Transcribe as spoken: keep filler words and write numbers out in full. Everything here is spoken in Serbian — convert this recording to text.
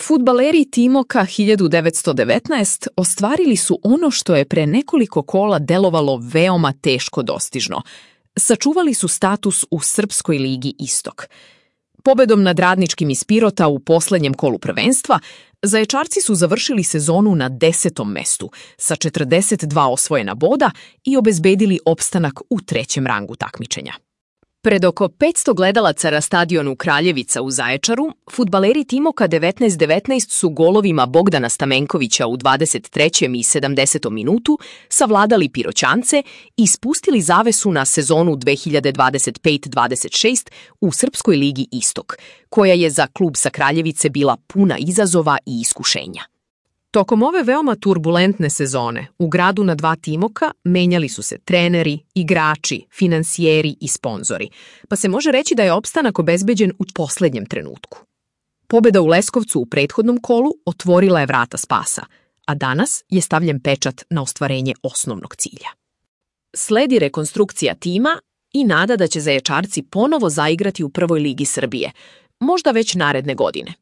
Fudbaleri Timoka hiljadu devetsto devetnaest ostvarili su ono što je pre nekoliko kola delovalo veoma teško dostižno. Sačuvali su status u Srpskoj ligi Istok. Pobedom nad Radničkim iz Pirota u poslednjem kolu prvenstva, Zaječarci su završili sezonu na desetom mestu sa četrdeset dva osvojena boda i obezbedili opstanak u trećem rangu takmičenja. Pred oko petsto gledalaca na stadionu Kraljevica u Zaječaru, fudbaleri Timoka devetnaest devetnaest su golovima Bogdana Stamenkovića u dvadeset trećem i sedamdesetom minutu savladali Piroćance i spustili zavesu na sezonu dve hiljade dvadeset pet dvadeset šest u Srpskoj ligi Istok, koja je za klub sa Kraljevice bila puna izazova i iskušenja. Tokom ove veoma turbulentne sezone u gradu na dva Timoka menjali su se treneri, igrači, finansijeri i sponzori, pa se može reći da je opstanak obezbeđen u poslednjem trenutku. Pobeda u Leskovcu u prethodnom kolu otvorila je vrata spasa, a danas je stavljen pečat na ostvarenje osnovnog cilja. Sledi rekonstrukcija tima i nada da će Zaječarci ponovo zaigrati u prvoj ligi Srbije, možda već naredne godine.